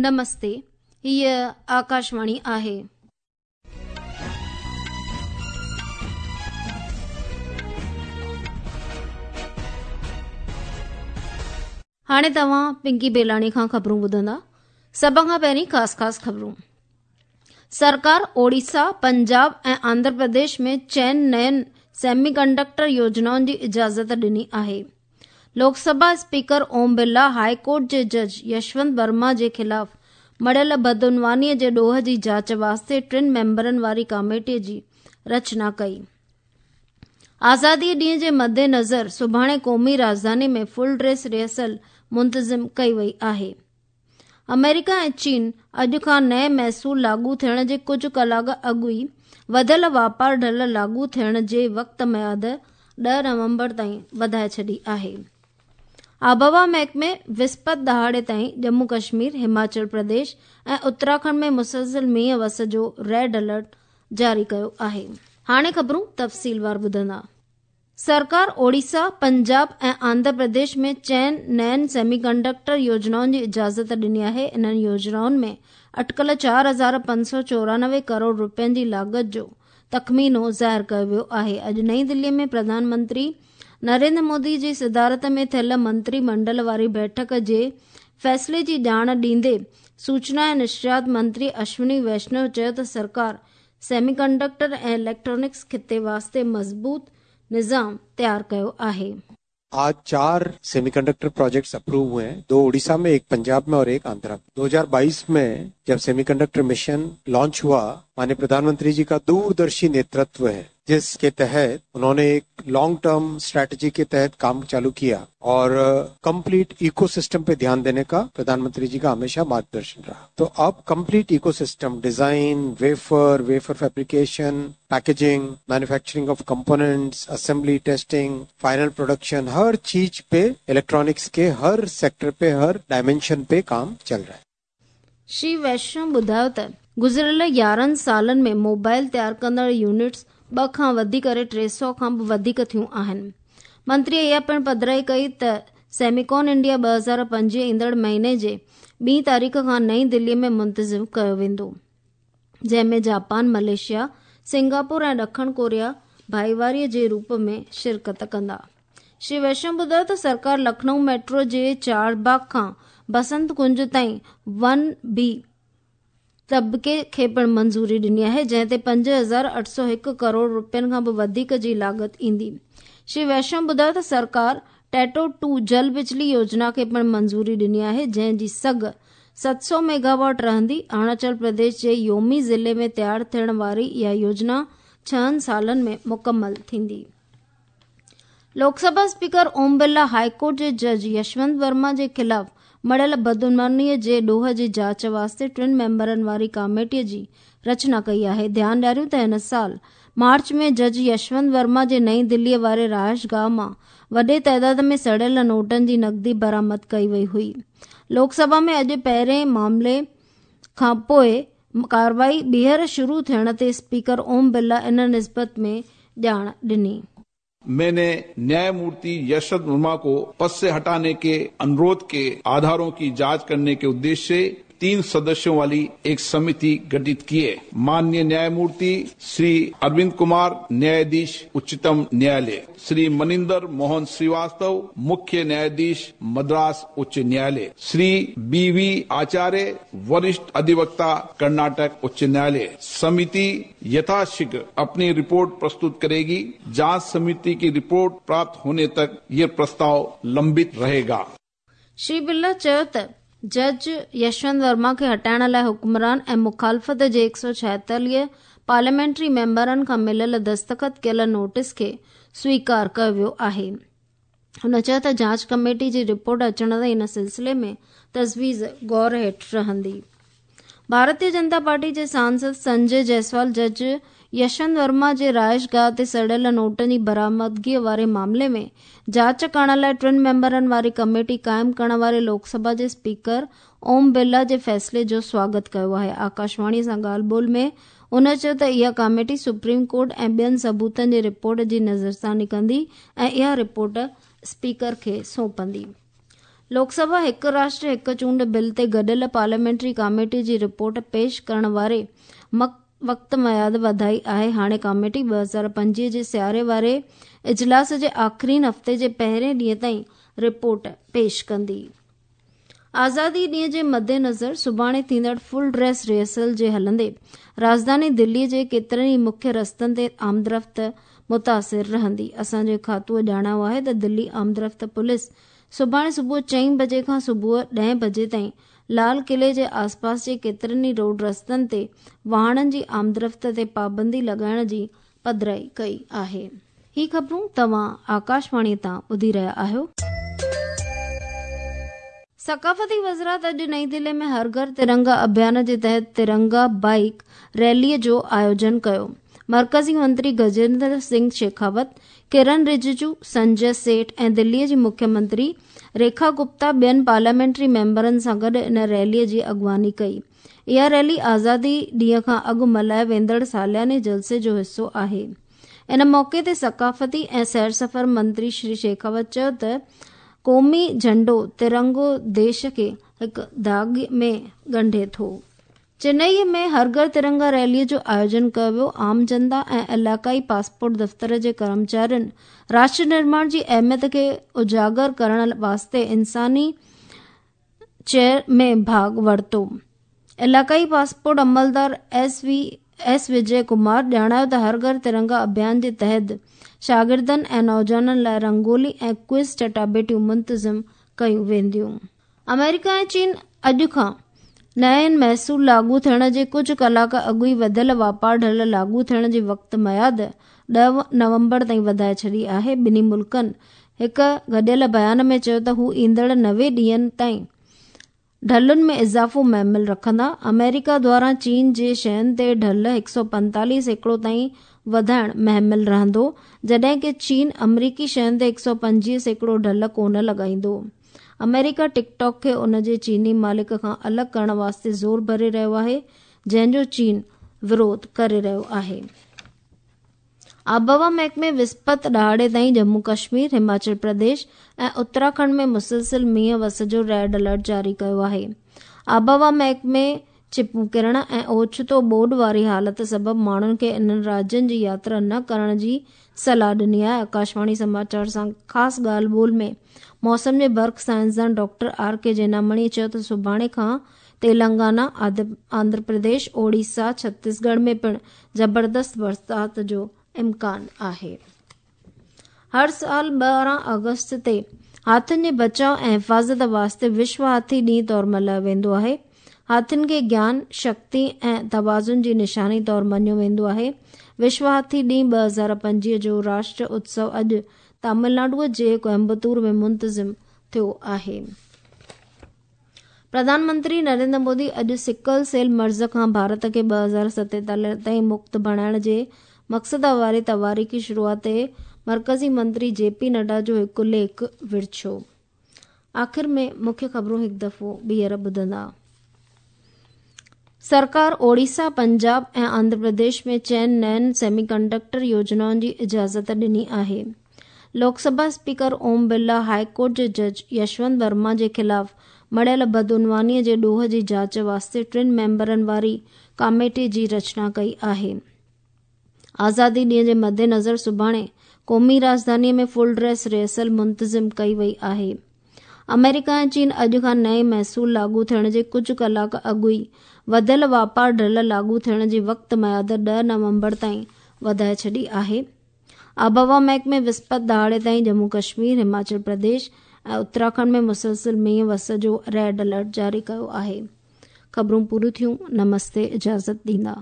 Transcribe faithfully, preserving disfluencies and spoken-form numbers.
نمستي، هيء آڪاشواڻي آهي. هاڻي توهان پنڪي بيلاڻي کان خبرون ٻڌندا. سڀ کان پهرين خاص خاص خبرون. سرڪار اوڙيسا، پنجاب ۽ آنڌرا پرديش ۾ چئن نين سيمي ڪنڊڪٽر يوجنائن جي اجازت ڏني آهي. Lok Sabha speaker Om Birla high court جي جج يشونت ورما جي خلاف مڙهيل بدعنواني جي ڏوهه جي جاچ واسطي ٽن ميمبرن واري ڪاميٽي جي رچنا ڪئي. آزادي ڏينهن جي مد نظر سڀاڻي قومي راڄڌاني ۾ فل ڊريس ريهرسل منتظم ڪئي وئي آهي. آمريڪا ۽ چين اڄ کان نئين محصول لاڳو ٿيڻ جي ڪجهه ڪلاڪ اڳ ئي وڌيل واپار ڍل لاڳو ٿيڻ جي وقت ميعاد ڏهه نومبر تائين وڌائي ڇڏي آهي. آبهوا محڪمي وسپت ڏهاڙي تائين ڄمون ڪشمير، هماچل پرديش ۽ اتراکنڊ ۾ مسلسل مينهن وس جو ريڊ الرٽ جاري ڪيو آهي. هاڻي خبرون تفصيلوار ٻڌندا. سرڪار اوڙيسا، پنجاب ۽ آنڌرا پرديش ۾ چئن نين سيمي ڪنڊڪٽر يوجنائن جي اجازت ڏني آهي. انهن يوجنائن ۾ اٽڪل چار هزار پنج سؤ چورانوي ڪروڙ رپين جي لاڳت جو تخمينو ظاهر ڪيو ويو آهي. اڄ نئين دلي ۾ پرڌان منتري نريندر مودي جي صدارت ۾ ٿيل منتري منڊل واري بيٺڪ جي فيصلي جي ڄاڻ ڏيندي سوچنا ۽ نشريات منتري اشوني ويشنو چيو ته سرڪار سيمي ڪنڊڪٽر ۽ اليڪٽرانڪس خطي واسطي مضبوط نظام تيار ڪيو آهي. आज चार सेमीकंडक्टर प्रोजेक्ट्स अप्रूव हुए हैं, दो उड़ीसा में, एक पंजाब में और एक आंध्रा में। दो हज़ार बाईस में जब सेमीकंडक्टर मिशन लॉन्च हुआ, माननीय प्रधानमंत्री जी का दूरदर्शी नेतृत्व है, जिसके तहत उन्होंने एक लॉन्ग टर्म स्ट्रैटेजी के तहत काम चालू किया और कंप्लीट इकोसिस्टम पे ध्यान देने का प्रधानमंत्री जी का हमेशा मार्गदर्शन रहा। तो अब complete ecosystem, design, wafer, wafer fabrication, packaging, manufacturing of components, assembly, testing, final production, हर चीज पे इलेक्ट्रॉनिक्स के हर सेक्टर पे, हर डायमेंशन पे काम चल रहा है। श्री वैष्णव ॿुधायो त गुज़िरियल यारहं सालनि में मोबाइल तयार कंदड़ यूनिट्स ٻه کان وڌي ڪري ٽي سؤ کان به وڌيڪ ٿيون آهن. منتري اها پڻ پڌرائي ڪئي ته سيميڪان انڊيا ٻه هزار پنجويهه ايندڙ مهيني جي ٻي تاريخ کان نئين دلي ۾ منتظم ڪيو ويندو، جنهن ۾ جاپان، ملائيشيا، سنگاپور ۽ ڏکڻ ڪوريا ڀائيواري جي روپ ۾ شرڪت ڪندا. شري ويشنو ٻڌايو ته سرڪار لکنؤ ميٽرو جي چار باغ کان بسنت ڪنج تائين ون بي طبقي کي پڻ منظوري ڏني آهي، جنهن تي پنج هزار اٺ سؤ هڪ ڪروڙ رپين کان به وڌيڪ جي لاڳت ايندي. شري ويشنو ٻڌايو ته سرڪار ٽيٽو ٽو جل بجلي يوجنا کي پڻ منظوري ڏني آهي، جنهن جي سگهه ست سؤ ميگاواٽ رهندي. اروناچل پرديش جي يومي ضلعي ۾ تيار ٿيڻ واري اها يوجنا ڇهن سالن ۾ مڪمل ٿيندي. Lok Sabha speaker Om Birla high court جي جج يشونت ورما جي خلاف مڙهيل بدعنواني جي ڏوهه جي جاچ واسطي ٽن ميمبرن واري ڪاميٽي جي رچنا ڪئي آهي. ڌيان ڏياريون ته هن سال مارچ ۾ جج يشونت ورما جي نئين دلي واري رهائش گاهه مان وڏي تعداد ۾ سڙيل نوٽن جي نقدي برآمد ڪئي وئي هئي. لوڪ سڀا ۾ اڄ پهرين معاملي کان پوءِ ڪارروائي ٻيهر شروع ٿيڻ تي اسپيڪر اوم برلا ان نسبت ۾ ڄاڻ ڏني. मैंने न्यायमूर्ति यशवंत वर्मा को पद से हटाने के अनुरोध के आधारों की जांच करने के उद्देश्य से तीन सदस्यों वाली एक समिति गठित की है। माननीय न्यायमूर्ति श्री अरविंद कुमार, न्यायाधीश उच्चतम न्यायालय, श्री मनिंदर मोहन श्रीवास्तव, मुख्य न्यायाधीश मद्रास उच्च न्यायालय, श्री बी we आचार्य, वरिष्ठ अधिवक्ता कर्नाटक उच्च न्यायालय। समिति यथाशीघ्र अपनी रिपोर्ट प्रस्तुत करेगी। जांच समिति की रिपोर्ट प्राप्त होने तक ये प्रस्ताव लंबित रहेगा। श्री बिरला चयो त जज यशवंत वर्मा खे हटाइण लाइ हुक्मरान ऐं मुखालफ़त जे هڪ سؤ ڇائيتاليهه पार्लियामेंट्री मेंबरनि खां मिलियल दस्तख़त कयल नोटिस खे स्वीकार कयो वियो आहे। हुन चयो त जांच कमेटी जी रिपोर्ट अचण ताईं इन सिलसिले में तजवीज़ गौर हेठि रहंदी। भारतीय जनता पार्टी जे सांसद संजय जायसवाल जज यशवंत वर्मा जे रहाइश गाह ते सड़ियल नोटनि जी बरामदगीअ वारे मामले में जांच करण लाइ टिनि मेंबरनि वारी कमेटी क़ाइमु करण वारे लोकसभा जे स्पीकर ओम बिरला जे फ़ैसिले जो स्वागत कयो आहे। आकाशवाणी सां ॻाल्हि ॿोल में हुन चयो त इहा कमेटी सुप्रीम कोर्ट ऐं ॿियनि सबूतनि जी रिपोर्ट जी नज़रसानी कंदी ऐं इहा रिपोर्ट स्पीकर खे सौंपंदी। لوڪ سڀا هڪ راشٽر هڪ چونڊ بل تي گڏيل پارليامينٽري ڪاميٽي جي رپورٽ پيش ڪرڻ واري وقت ميعاد وڌائي آهي. هاڻي ڪاميٽي ٻه هزار پنجويهه جي سياري واري اجلاس جي آخرين هفتي جي پهرين ڏينهن تائين رپورٽ پيش ڪندي. آزادي ڏينهن جي مدنظر سڀاڻي ٿيندڙ فل ڊريس ريهرسل جي هلندي راڄڌاني دلي جي ڪيترن ئي مکيه رستن تي آمدرفت متاثر رهندي. اسان جي کاتوءَ ڄاڻايو آهي ته دلي آمدرفت پوليس سڀاڻي صبح چئين بجي کان صبح ڏهين بجي تائين لال قلعي جي آسپاس جي ڪيترن ئي روڊ رستن تي واهنن جي آمدرفت تي پابندي لڳائڻ جي پڌرائي ڪئي آهي. هي خبرون توهان آڪاشواڻي تان ٻڌي رهيا آهيو. ثقافتي وزارت اڄ نئين دلي ۾ هر گهر ترنگا اڀيان جي تحت ترنگا بائيڪ ريليءَ جو آيوجن ڪيو. مرڪزي منتري گجيندر سنگهه شيکاوت، ڪرن رججو، سنجي سيٺ ۽ دليءَ جي مکيه منتري ريکا گپتا ٻين پارليامينٽري ميمبرن سان گڏ ان ريليءَ جي اڳواڻي ڪئي. اها ريلي آزادي ڏينهن کان اڳ ملهائي ويندڙ سالياني جلسي جو حصو آهي. ان موقعي تي ثقافتي ۽ سير سفر منتري شري شيکاوت چيو ته قومي جهنڊو ترنگو ديش کي هڪ ڌاڳي ۾ ڳنڍي ٿو. چنئي ۾ هر گهر ترنگا ريليءَ جو آيوجن ڪيو ويو. عام جنتا ۽ علائقائي پاسپورٽ دفتر جي ڪرمچارين راشٽر نرماڻ جي اهميت کي اجاگر ڪرڻ واسطي انساني چيئر ۾ ڀاڳ ورتو. علائقائي پاسپورٽ عملدار ايس وي ايس وجي ڪمار ڄاڻايو ته هر گهر ترنگا اڀيان جي تحت شاگردن ۽ نوجوانن لاءِ رنگولي ۽ ڪوئز چٽاڀيٽيون منتظم ڪيون وينديون. آمريڪا ۽ چين اڄ کان نئين محصول لاڳو ٿيڻ جي ڪجهه ڪلاڪ اڳ ئي وڌيل واپار ڍل لاڳو ٿيڻ جي وقت ميعاد ڏهه نومبر تائين وڌائي ڇڏي آهي. ٻنهي ملڪن هڪ گڏيل بيان ۾ چيو ته هو ايندڙ نوي ڏينهن تائين ڍلن ۾ اضافو مهمل رکندا. آمريڪا دواران چين جي شين تي ڍل هڪ سؤ پنتاليهه سيڪڙو تائين وڌائڻ مهمل رهندو، جڏهن ڪه چين آمريڪي شين تي هڪ سؤ پنجويهه سيڪڙو ڍل ڪونه لڳائيندو. آمريڪا ٽڪ ٽاڪ کي ان جي چيني مالڪ کان الڳ ڪرڻ واسطي زور ڀري رهيو آهي، جنهن جو چين وروڌ ڪري رهيو آهي. آبهوا محڪمي وسپت ڏهاڙي تائين ڄمون ڪشمير، هماچل پرديش ۽ اتراکنڊ ۾ مسلسل مينهن وس جو ريڊ الرٽ جاري ڪيو آهي. آبهوا محڪمي چپون ڪرڻ ۽ اوچتو ٻوڏ واري حالت سبب ماڻهن کي انهن راجين جي ياترا نه ڪرڻ جي صلاح ڏني آهي. آڪاشواڻي سماچار سان خاص ڳالهه ٻولهه ۾ موسم جي برک سائنسدان ڊاڪٽر آر ڪي جينامڻي چيو ته سڀاڻي کان تيلنگانا، آنڌرا پرديش، اوڙيسا، ڇتيسڳڙهه ۾ پڻ زبردست برسات جو امڪان آهي. هر سال ٻارهن آگسٽ تي هاٿين جي بچاءُ ۽ حفاظت واسطي وشو هاٿي ڏينهن طور ملهايو ويندو آهي. هاٿين کي گيان، شڪتي ۽ توازن جي نشاني طور مڃيو ويندو آهي. وشو هاٿي ڏينهن ٻه هزار پنجويهه جو راشٽر اتسو اڄ تامل ناڊوءَ جي ڪوئمبتور ۾ منتظم ٿيو آهي. پرڌان منتري نريندر مودي اڄ سڪل سيل مرض کان ڀارت کي ٻه هزار ستيتاليهه تائين مڪت بڻائڻ جي مقصد واري تواريخي شروعات تي مرڪزي منتري جي پي نڊا جو هڪ ليک ورڇيو. آخر ۾ مکيه خبرون هڪ دفعو ٻيهر ٻڌندا. سرڪار اوڙيسا، پنجاب ۽ آنڌرا پرديش ۾ چئن نين سيمي ڪنڊڪٽر يوجنائن جي اجازت ڏني آهي. Lok Sabha speaker Om Birla high court جي جج يشونت ورما جي خلاف مڙهيل بدعنوانيءَ جي ڏوهه جي جاچ واسطي ٽن ميمبرن واري ڪاميٽي جي رچنا ڪئي آهي. آزادي ڏينهن جي مدنظر سڀاڻي قومي راڄڌانيءَ ۾ فل ڊريس ريهرسل منتظم ڪئي وئي آهي. آمريڪا ۽ چين اڄ کان نئين محصول لاڳو ٿيڻ جي ڪجهه ڪلاڪ اڳ ئي وڌيل واپار ڍل لاڳو ٿيڻ جي وقت ميعاد ڏهه نومبر تائين وڌائي ڇڏي آهي. آبهوا محڪمي وسپت ڏهاڙي تائين ڄمون ڪشمير، هماچل پرديش ۽ اتراکنڊ ۾ مسلسل مينهن وس جو ريڊ الرٽ جاري ڪيو آهي. خبرون پوريون ٿيون. نمستي. اجازت ڏيندا.